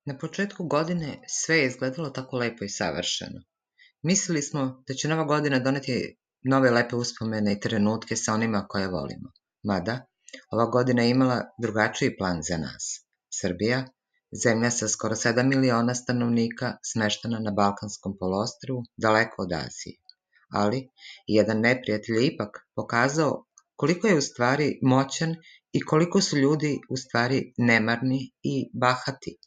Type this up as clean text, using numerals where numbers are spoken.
Na početku godine sve je izgledalo tako lepo i savršeno. Mislili smo da će nova godina doneti nove lepe uspomene i trenutke sa onima koje volimo. Mada, ova godina je imala drugačiji plan za nas. Srbija, zemlja sa skoro 7 miliona stanovnika, smeštena na Balkanskom poluostrvu, daleko od Azije. Ali, jedan neprijatelj je ipak pokazao koliko je u stvari moćan i koliko su ljudi u stvari nemarni i bahati.